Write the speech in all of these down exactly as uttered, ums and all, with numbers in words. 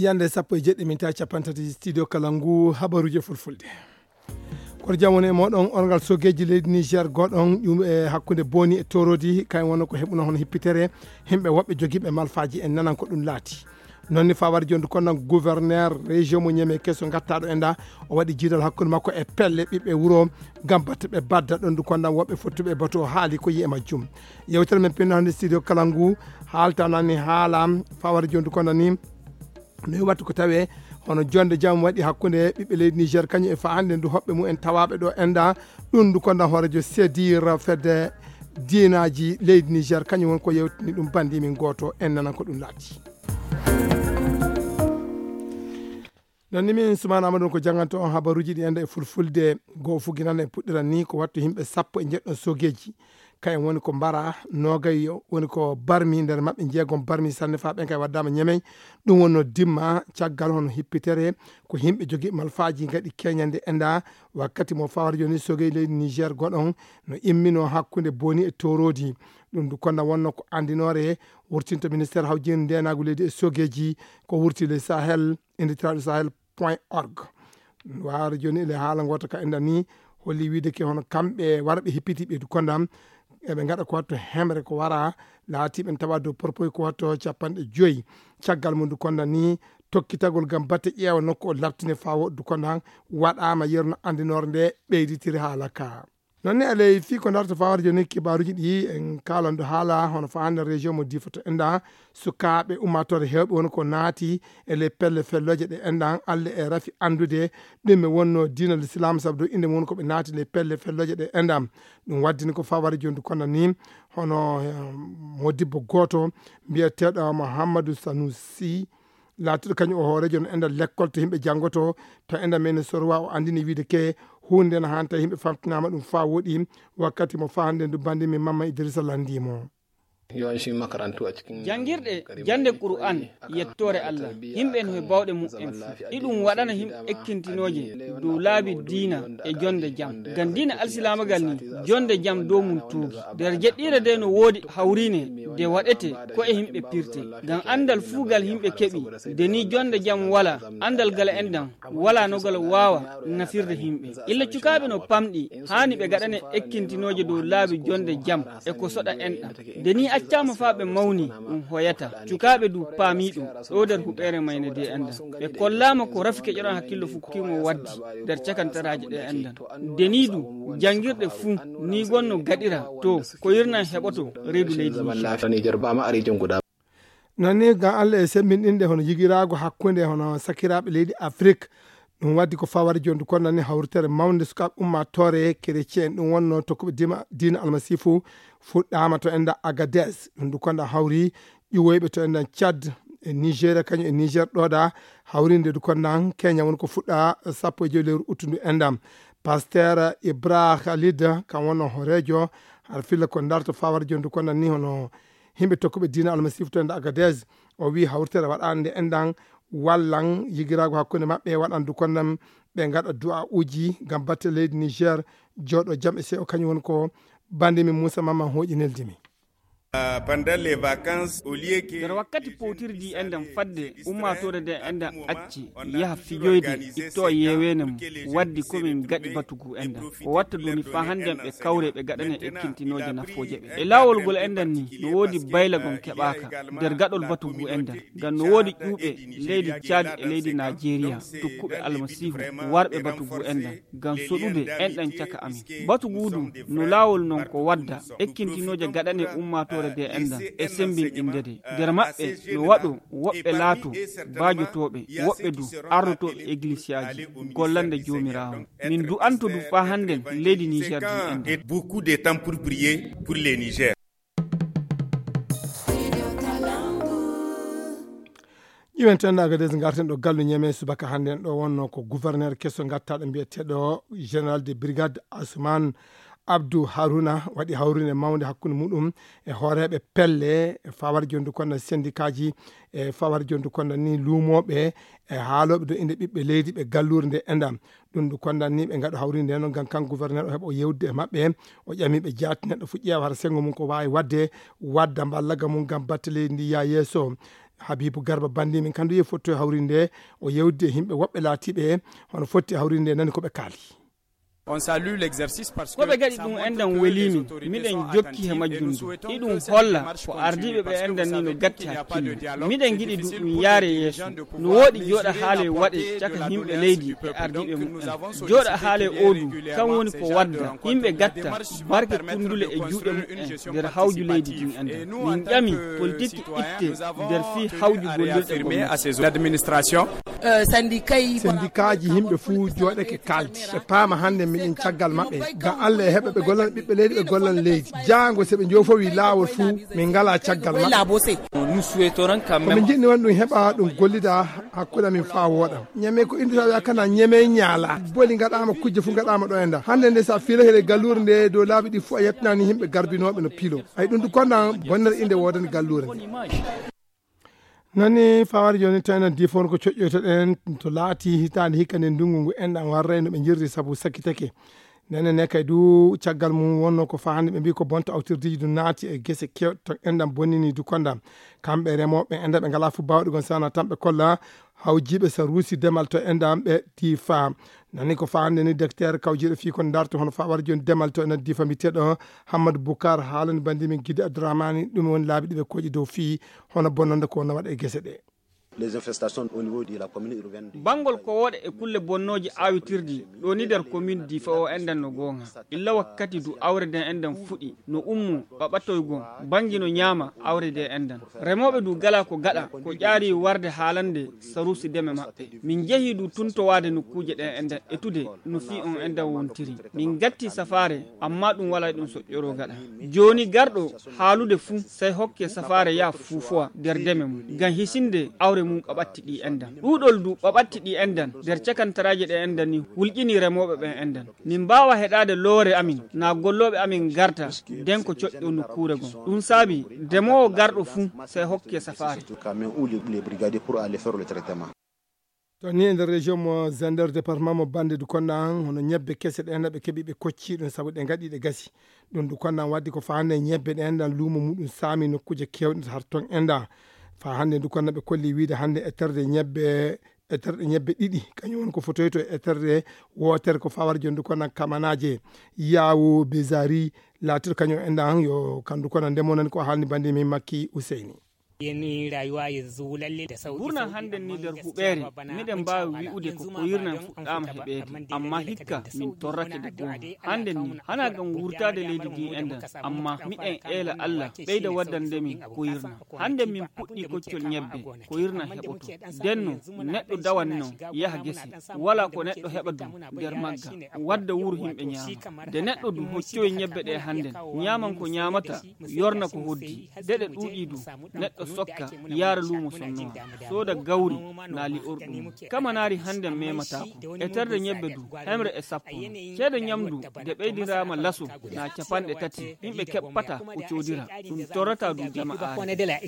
Yande sappo e jeɗɗi min tawi capanɗe tati studio kala ngu habaruji e fulfulde. Koto jam woni e moɗon, orngal sogeji leydi Niger goɗon, ɗum e hakkunde Boni e Torodi, kayen wonno ko heɓuno hono hippitere, himɓe woɓɓe jogiiɓe malfaji en nanan ko ɗum laati. Noon ni fawar jondu kono gouverneur région mo Niamey keso gattaɗo e nda, o waɗi jiidal hakkunde makko e pelle ɓiɓɓe wuro, gam batte ɓe badda ɗon du kono woɓɓe fottuɓe e bato haali ko yi'e majjum. Yewtere men pinno hannde studio kala ngu haaltanani haala fawar jondu kono ni, no wattu ko tawe hono jonde jam waɗi hakkunde ɓiɓɓe leydi Niger kañum e fa hannde ndu hoɓɓe mum en tawaɓe ɗo enda ɗum ndu konda hoorejo sedir fedde diinaji leydi Niger, kañum woni ko yewtini ɗum bandi min goto en nanan ko ɗum laati. Non ni min Soumana Amadou ko jannganto on habaruji ɗi enda e fulfulde. Goo fuginana e puɗɗiran ni ko wattu yimɓe sappo e jeɗɗon sogeji, kayen woni ko mbara, noogay woni ko barmi, nder maɓɓe jeegom barmi sanne fa ɓen kay waddama Ñamey. Ɗum wonno dimma caggal hono hippitere ko yimɓe jogi malfaji gaɗi keñande enda wakkati mo fawar joni sogey leydi Niger goɗon no immino hakkunde Boni e Torodi. Ɗum du konda wonno ko andinore wurtinto ministère hawjin ndenagu leydi e sogeji ko wurti le Sahel, inditiraɗo Sahel point org. Waro joni ele haala ngota ka enda ni holli wiide ke hono kamɓe warɓe hippiti ɓe du kondam eɓe gaɗa ko watto hemre ko wara laati ɓen tawa dow porpoy ko watto capanɗe joyi. Caggal mum du konda ni tokkitagol gam batte ƴeewa nokku o labtine fa woɗdu konda waɗama yerno andinore nde ɓeyditiri haala ka. Non ni alay fii ko darta fawar joni kibaruji ɗi en kalan do haala hono fa hande région mo Difa to enda sukaaɓe ummatore hewɓe woni ko naati e ley pelle felloje ɗe enɗan Allah e rafi andude ɗum e wonno diina l'islam sabu ɗo inde mum woni ko ɓe naati ley pelle felloje ɗe enɗan. Ɗum waddini ko fawar jondu kono ni hono eh, modibbo goto mbiyeteɗo Muhammadu Sanusi laatiɗo kañum o hoorejo no enda lekkol to yimɓe janngoto to enda men sorwa o andini wiide ke hunde no hanta yimɓe famtinama ɗum fa woɗi wakkati mo fa hande ndu bandi min Mamma Idrissa landimo. Jangirɗe jande Qur'an yettoore Allah yimɓe no he bawɗe mu'en fu iɗum waɗana yimɓe ekkintinooje dow laabi diina e jonde jam ngam diina alsilaamagal ni jonde jam dow mum tuugi nder jeɗɗiire de no woodi hawriine de waɗete ko e yimɓe pirte ngam anndal fuu gal yimɓe keɓi de ni jonde jam wala anndal gal enɗan wala no gal waawa nafirde yimɓe illa cukaaɓe no pamɗi haani ɓe gaɗane ekkintinooje dow laabi jonde jam e ko soɗa enɗan de ni accaama faa ɓe mawni ɗum hoyata cukaaɓe du paami ɗum ɗo nder huɓeere mayne de enɗan ɓe kollaama ko rafi keƴoɗon hakkillo fukkimo waddi nder cakantaraaji ɗe enɗan de ni du janngirɗe fuu ni gonno gaɗira to ko yirnan heɓoto reedu leydi Niger. Non ni ngam Allah e semmbinɗinde hono yigiraagu hakkunde hono sakiraaɓe leydi Afrik. Ɗum waddi ko fawari jondu kon nani hawritere mawnde sukaaɓe ummaatoore kerecien ɗum wonno tokkuɓe dima diina almasiifu fuɗɗaama to enda Agadez. Ɗum du konda hawri ƴiwoyɓe to endan Tchad e Nigeria kañum e Niger ɗoɗa hawrinde du kondan Kenya woni ko fuɗɗa sappo e joyi lewru uttundu endam. Pasteur Ibra Khalid kam wonno horeejo har filla ko darto fawari jondu kondan ni hono himɓe tokkuɓe diina almasiifu to enda Agadez. O wi hawritere waɗande endan wallan yigiraagu hakkunde maɓɓe waɗan du kondan ɓe ngaɗa du'a uji ngam batte leydi Niger jooɗo jam e seyo kañum woni ko bande min Moussa Mamman hooƴi neldimi. Pendant les vacances, au lieu que nder wakkati powtirdi enɗen fadde ummaatoore nde enɗen acci yaha fijoyde itto yeeweene mum waddi komin gaɗi batugu enɗen o watta duni faa hannden ɓe kawre ɓe gaɗane ekkintinooje nafooje ɓe e laawol ngol enɗen ni no woodi bayla gom keɓaaka nder gaɗol batugu enɗen ngam no woodi ƴuuɓe leydi Caadi e leydi Naajeeriya tokkuɓe Almasiihu warɓe batugu enɗen ngam soɗude enɗen caka amin. Batugu du no laawol non ko wadda ekkintinooje gaɗane ummaatoore de enɗen e semmbinɗinde de. Nder maɓɓe no waɗo woɓɓe laato baajotooɓe, woɓɓe du arnotooɓe eglisiyaaji gollande Joomiraawo. Min du'anto du faa hannden leydi Niger du enɗen. Beaucoup de temps pour prier pour les Niger. Ƴiwen tan Agadez ngarten ɗo gallu Ñeme subaka hannden ɗo wonno ko gouverneur keso ngattaɗo mbiyeteɗo général de brigade Asuman Abdou Haruna waɗi hawrine mawnde hakkunde muɗum e hooreeɓe pelle e fawar jondu konda sendikaaji e fawar jondu konda ni luumooɓe e haalooɓe do inde ɓiɓɓe leydi ɓe galluure nde endam. Ɗum ɗo kondan ni ɓe ngaɗo hawri nde noon ngam kan gouverneur o heɓa o yewdude e maɓɓe o ƴami ɓe jaati neɗɗo fof ƴeewa hara senngo mum ko waawi waɗde wadda mballaga mum ngam batte leydi ndi yaa yeeso. Habibu Garba Bandi min kandu ye fotto e hawrinde o yewdi e himɓe woɓɓe laatiɓe hono fotti e hawrinde nani ko ɓe kaali. On salue l'exercice parce que ko ɓe gaɗi ɗum enɗam welimi. Miɗen jokki he majjum du iɗum holla ko ardiiɓe ɓe enɗam ni no gatti hakkille. Miɗen giɗi du ɗum yaare yeeso. No woɗi jooɗa haale waɗe caka himɓe leydi e ardiiɓe mumen. Jooɗa haale o du kan woni ko wadda yimɓe gatta barke kundule e juuɗe mumen nder hawju leydi din enɗam. Min ƴami politique itte nder fii hawju gollirɗe gomnati. L'administration. Sendikaaji yimɓe fuu jooɗake kaaldi ɓe paama hannde miɗen caggal maɓɓe. Ngam Allah e heɓa ɓe gollan ɓiɓɓe leydi ɓe gollan leydi jaango so ɓe njoofowi laawol fuu min ngalaa caggal maɓɓe. Komin njiɗni won ɗum heɓa ɗum gollida hakkunde amin faa wooɗa. Ñame ko indi tawi kana ñame ñaala boli ngaɗaama kujje fuu ngaɗaama ɗo e nda hannde nde so a fiilake ɗe galluure nde dow laabi ɗi fuu a yettinani yimɓe garbinooɓe no piilo. Ay ɗum du konda bonnere inde woodani galluure nde. Nani fawari jooni tawno difoon ko coƴƴoytoɗen to laati hitaande hikka nde ndungu ngu enɗam warray no ɓe jirri sabu sakkitake. Nene ne kay du caggal mum wonno ko fahande ɓe mbi ko bonta awtirdiiji du naati e gese kewɗe to enɗam bonnini du konda. Kamɓe remooɓe enɗam ɓe ngala fu bawɗe gon sana tan ɓe kolla hawjiiɓe saruusi demal to enɗam ɓe difa. Nani ko fahande ni docteur kawjiiɗo fii ko darto hono fawari jooni demal to enɗam difa mbiyeteeɗo Hammadu Bukar haalani bandi min Gide Abdourahmani ɗum woni laabi ɗi ɓe koƴi dow fii hono bonnonde ko no waɗa e gese ɗe. Bangol ko woɗe e kulle bonnooje awitirdi ɗo ni nder komin difa o enɗam no goonga. Illa wakkati du awre nden enɗam fuɗi no ummo ɓaɓatoygon bangi no ñaama awre nden enɗam. Remooɓe du gala ko gaɗa ko ƴaari warde haalande saruusi deme maɓɓe. Min jehi du tuntowaade nokkuuje ɗen enɗam etude no fii on enɗam wontiri. Min gatti safaare amma ɗum wala ɗum soƴƴoro gaɗa. Jooni garɗo haalude fuu sey hokke safaare yaa fuufowa nder deme mum ngam hisinde awre mum ɓaɓatti ɗi enɗam. Ɗuuɗol du ɓaɓatti ɗi enɗam nder cakantaraaji ɗe enɗam ni hulƴini remooɓe ɓen enɗam. Min mbaawa heɗaade loore amin naa gollooɓe amin ngarta nden ko coƴƴo nokkuure gon. Ɗum saabi demoowo garɗo fuu sey hokke safaare. To ni e nder région mo Zander département mo Bande du konda an hono ñebbe kese ɗe enɗam ɓe keɓi ɓe kocci ɗum sabu ɗe ngaɗi ɗe gasi. Ɗum du konda an waddi ko faa hannde ñebbe ɗe enɗam luumo muɗum saami nokkuuje kewɗe har ton enɗam. Faa hannde du konda ɓe kolli wiide hannde e terde ñebbe e terɗe ñebbe ɗiɗi kañum woni ko fotoyto e terɗe wootere ko fawar jooni du konda kamanaaje yaawo bezari laatiɗo kañum enɗam yo kandu konda ndemo nani ko haalni bandi min Makki Useyni. Ɓurna hannden ni nder huɓeere miɗen mbaawi wi'ude ko koyirnan fuɗɗaama heɓeede, ammaa hikka min torrake nde goonga. Hannden ni hanaa ngam wurtaade leydi ndin enɗan, ammaa miɗen eela Alla ɓeyda waddande min koyirnan. Hannden min puɗɗii koccol ñebbe, koyirnan heɓoto. Ndenno neɗɗo dawan non yaha gese, walaa ko neɗɗo heɓa dum nder magga, wadda wuro himɓe ñaama. Nde neɗɗo du hoccoyi ñebbe ɗe hannden, ñaaman ko ñaamata, yorna ko hoddi. De ɗe ɗuuɗii du, neɗɗo sokka, yaara luumo sonnowa, sooda gawri naa li'orɗum. Kamanaari hannden memataako. E terde ñebbe du, hemre e sappo. Ceede ñamdu nde ɓeydiraama laso naa capanɗe tati, yimɓe keɓpata ko coodira. Ɗum torrataa du jama'aare.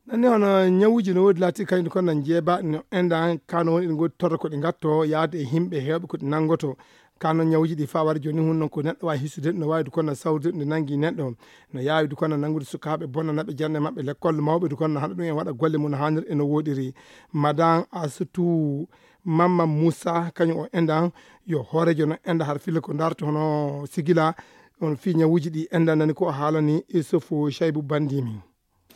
Nanni hono ñawuuji no woodi laati kayndi kono na jeeba no enɗan kano woni ɗi ngoodi torra ko ɗi ngatto yaade e yimɓe heewɓe ko ɗi nanngoto. Kano ñawuuji ɗi fawar jooni hun non ko neɗɗo waawi hisude no waawi du kono na sawrude ɗum nde nanngi neɗɗo. No yaawi du kono na nanngude sukaaɓe bonna naɓe jannde maɓɓe lekkol mawɓe du kono na haɗa ɗum en waɗa golle mum no haanir e no woɗiri. Madan Astou Mamma Moussa kañum o enɗan yo hoorejo no enɗa har filla ko darto hono sigila on fii ñawuuji ɗi enɗan nani ko o haalani Issoufou Chaibou Bandimi.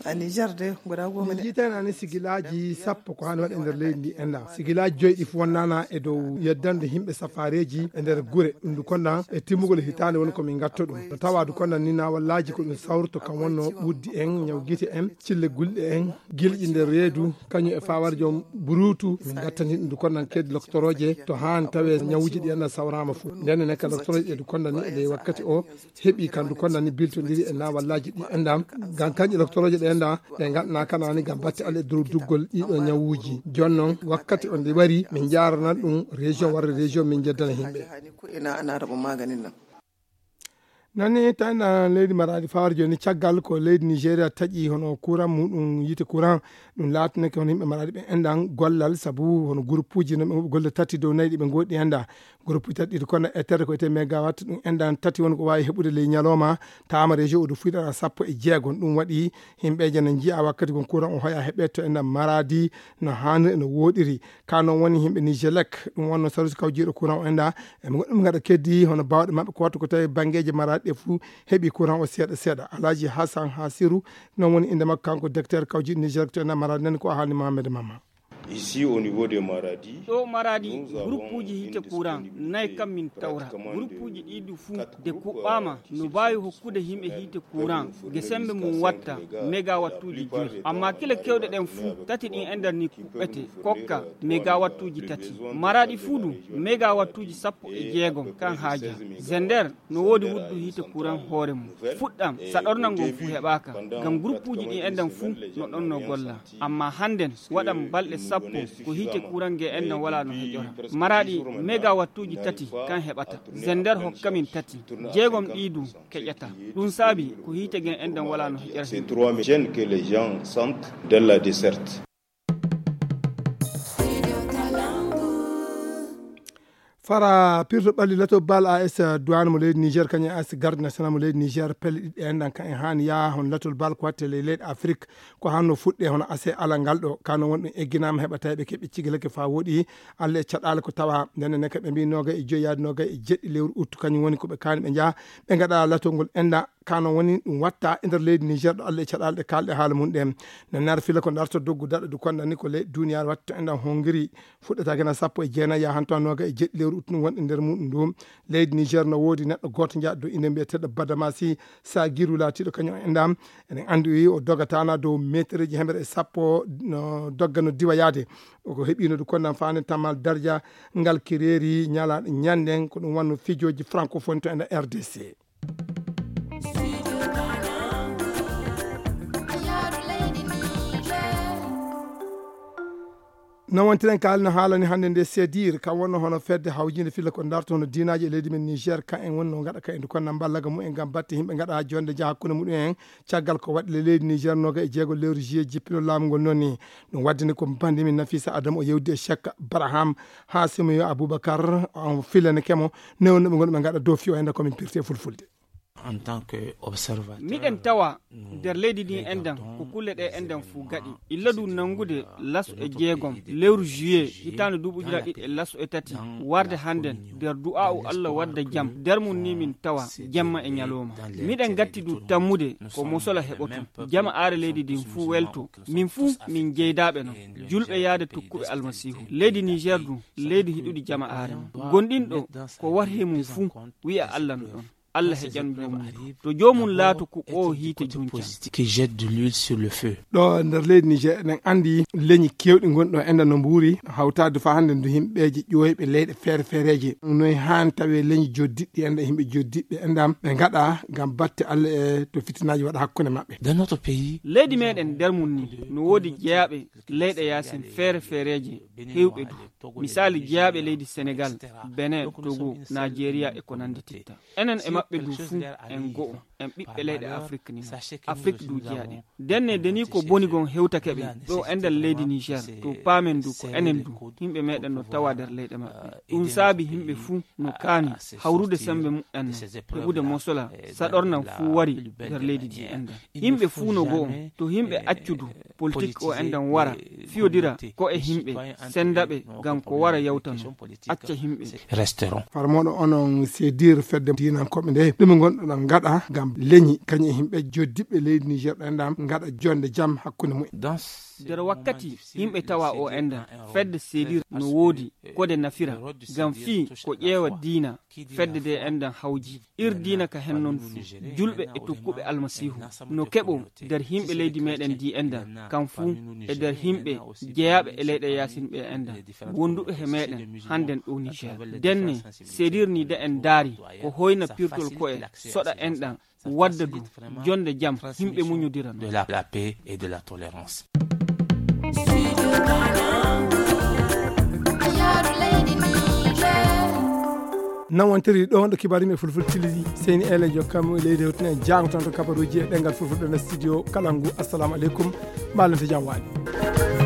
A Niger de guda goma ne. Min jiitani ani sigilaaji sappo ko haani waɗe nder leydi ndi enɗan. Sigilaaji joyi ɗi fof wonnana e dow yeddande yimɓe safaareeji e nder gure. Ɗum ndu konɗan e timmugol hitaande woni ko min ngatto ɗum. No tawa du konɗan ni nawallaaji ko ɗum sawrto kam wonno ɓuddi en, ñaw gite en, cille gulɗe en, gilƴi nder reedu, kañum e fawar joom buruutu. Min ngattani ɗum du konɗan keedi loktorooje to haani tawe ñawuuji ɗi enɗan sawraama fof. Nden ne ka loktorooje ɗe du konɗan ni e ley wakkati o heɓi kandu konnani biltodiri e nawallaaji ɗi enɗan. Ngam kanƴe loktorooje ɗe enɗan ɗe ngaɗana kanani ngam batte ale durduggol ɗiɗo ñawuuji. Jooni noon wakkati on nde wari min njaarana ɗum région warde région min njeddana yimɓe. Nani tan ɗan leydi Maraadi fawar jooni, caggal ko leydi Nigeria taƴi hono kuran muɗum, yiite kuran, ɗum laatinake hono yimɓe Maraadi ɓe enɗan gollal, sabu hono guruppuuji no ɓe golle tati dow nayi ɗi ɓe ngoɗi enɗa. Guruppuuji tati ɗi kono ettere ko etee megawatt, ɗum enɗan tati woni ko waawi heɓude ley ñalawma, taama région o ɗo fuɗɗata sappo e jeegom. Ɗum waɗi yimɓeeje ne njiya wakkati kon kuran o hoya heɓe to enɗan Maraadi no haaniri, no wooɗiri. Ka noon woni yimɓe Nigelec, ɗum wonno sarus kawjiiɗo kuran o enɗa, e ɓe goɗɗum ngaɗa keddi hono baawɗe maɓɓe ko wattu ko tawi banngeeji Maraadi ɗe fuu heɓi kuran o seeɗa seeɗa. Alhaji Hassan Hasiru, noon woni innde makko, kanko directeur kawjiiɗo Nigelec to enɗan Maraadi, nani ko o haalni Mohamed Mama. Ici au niveau de Maradi, ɗo Maradi, guruppuuji hiite kuran nayi kam min tawra. Guruppuuji ɗi du fuu de kuɓɓaama no baawi hokkude yimɓe hiite kuran ge sembe mum watta megawattuuji joyi. Amma kile kewɗe ɗen fuu tati ɗin e nder ni kuɓɓete kokka megawattuuji tati. Maraadi fuu du megawattuuji sappo e jeegom kan haaja. Zender no woodi wuddu hiite kuran hoore mum. Fuɗɗam saɗornal ngon fuu heɓaaka, ngam guruppuuji ɗin enɗan fuu no ɗon no golla. Amma hannden waɗan balɗe sappo ko hiite kuran ge enɗan walaa no heƴora. Maraadi megawattuuji tati kan heɓata. Zender hokka min tati. Jeegom ɗi du keƴata. Ɗum saabi ko hiite gen enɗan walaa no heƴora. C'est trois mille jeunes que les gens sentent dans la déserte. Fara pirto ɓalli lato bal A S Douane mo leydi Niger, kañum A S Garde National mo leydi Niger, pelle ɗiɗi en ɗan ka en haani yaa hono latol bal ko watte ley leyɗe Afrik, ko hanno fuɗɗe hono A C alal ngal ɗo, kano won ɗum egginaama heɓa tawi ɓe keɓi cigilake faa woɗi, Allah e caɗaale ko tawa. Ndenne ne ka ɓe mbi noga e joyi yaade noga e jeɗɗi lewru uttu, kañum woni ko ɓe kaani ɓe njaha, ɓe ngaɗa latol ngol enɗa, kano woni ɗum watta e nder leydi Niger ɗo Allah e caɗaale ɗe kaalɗe haala mum ɗen. No nar fila ko darto doggu daɗa du kondani ko leyɗe duniyaaru watta enɗan Hongiri, fuɗɗata gena sappo e jeenayi yahanto noga e jeɗɗi lewru uttu wonɗe nder muɗum ɗum. Leydi Niger no woodi neɗɗo gooto njaɗo inde mbiyeteɗo Badamasi Sagiru laatiɗo kañum enɗam. Eɗen anndi o yehi o dogatana dow metereji hemere e sappo no dogga no diwa yaade. O ko heɓino du konnan faande tammal darja ngal kireeri ñala ñanden ko ɗum wanno fijoji francophone to enɗa R D C. No wontiren kaali no haalani hannde nde sedir kam wonno hono fedde hawjinde filla ko darto hono diinaaji e leydi men Niger ka en wonno ngaɗa ka en du konna mballaga mumen ngam batte yimɓe ngaɗa jonde njaha hakkunde muɗum en. Caggal ko waɗi le leydi Niger noga e jeego lewru juillet jippino laamu ngol noon ni. Ɗum waddini ko mbandi min Nafisa Adam o yewdi e Cheikh Baraham Hasimi yo Aboubacar on filane kemo newno ɓe ngonɓe ngaɗa dow fiyo hende komin pirte fulfulde. En tant que observateur, miɗen tawa nder leydi ndin enɗan ko kulle ɗe enɗan fuu gaɗi illa du nanngude laso e jeegom lewru juillet hitaande duuɓi ujunaaji ɗiɗi e laso e tati warde hannden nder du'aa'u Allah wadda jam nder mum ni min tawa jemma e ñalooma. Miɗen gatti du tammude ko mosola heɓoto jama aare leydi ndin fuu welto, min fuu min jeydaaɓe non julɓe yaade tokkuɓe Almasiihu. Leydi Niger du leydi hiɗuɗi jama aare non gonɗinɗo ko warhe mum fuu wi'a Allah no ɗon. Allah heƴan joomum to joomum laato ko o hiite junca. Qui jette de l'huile sur le feu. Ɗo nder leydi Niger eɗen anndi leñi kewɗi gonɗo enɗa no mbuuri hawtaade faa hannde ndu yimɓeeje ƴooyɓe leyɗe feere feereeje noy haan tawe leñi joddiɗɗi enɗa yimɓe joddiɓɓe enɗam ɓe ngaɗa ngam batte Allah e to fitinaaji waɗa hakkunde maɓɓe. Dans notre pays, leydi meɗen nder mum ni no woodi jeyaaɓe leyɗe yaasin feere feereeje heewɓe du. Misaali jeyaaɓe leydi Senegal, Benin, Togo, Nigeria e ko nanndi titta. Enen e maɓɓe du fuu en go'o, en ɓiɓɓe leyɗe Afrik ni. Afrik du jeyaaɗi. Ndenne de ni ko boni gon hewtake ɓe ɗo e nder leydi Niger, to paamen du ko enen du yimɓe meɗen no tawa nder leyɗe maɓɓe. Ɗum saabi yimɓe fuu no kaani hawrude sembe muɓɓen no heɓude mosola saɗornan fuu wari nder leydi ndi enɗan. Yimɓe fuu no go'o to yimɓe accu du politik o enɗan wara fiyodira ko e yimɓe senda ɓe ngam ko wara yawtano acca yimɓe. Resteront. Farmoɗo onon sedir fedde diinankoɓe nde ɗum gonɗo ɗon ngaɗa ngam leñi kañum e yimɓe joddiɓɓe leydi Niger ɗo enɗan ngaɗa jonde jam hakkunde mumen. Nder wakkati yimɓe tawa o enɗan fedde sedir no woodi kode nafira ngam fii ko ƴeewa diina fedde de enɗan hawji. Ir diina ka hen non fuu julɓe e tokkuɓe Almasiihu no keɓo nder yimɓe leydi meɗen ndi enɗan kam fuu e nder yimɓe jeyaaɓe e leyɗe yaasin ɓe enɗan wonduɓe he meɗen hannden ɗo Niger. Ndenne sedir ni de en ndaari ko hoyna pirtol ko'e soɗa enɗan wadda du jonde jam yimɓe muñodira no. De la, la paix et de la tolérance. Nan wontiri ɗo ɗo kibaruji e fulfulde tilidi. Seyni Ele jokkam leydi hewtine jangto to kabaruji e ɗengal fulfulde nder studio Kalangu. Assalamu aleykum. Mbalante jam waali.